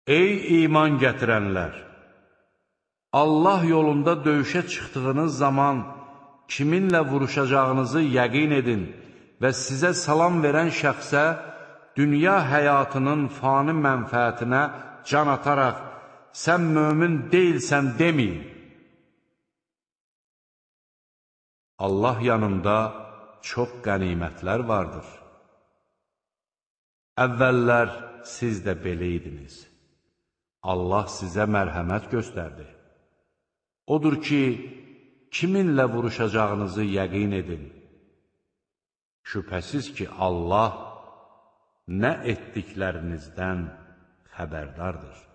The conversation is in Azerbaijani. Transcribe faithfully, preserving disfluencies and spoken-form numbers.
Ey iman gətirənlər! Allah yolunda döyüşə çıxdığınız zaman kiminlə vuruşacağınızı yəqin edin və sizə salam verən şəxsə dünya həyatının fani mənfəətinə can ataraq, sən mömin deyilsən deməyin. Allah yanında çox qənimətlər vardır. Əvvəllər siz də belə idiniz. Allah sizə mərhəmət göstərdi. Odur ki, kiminlə vuruşacağınızı yəqin edin. Şübhəsiz ki, Allah nə etdiklərinizdən xəbərdardır.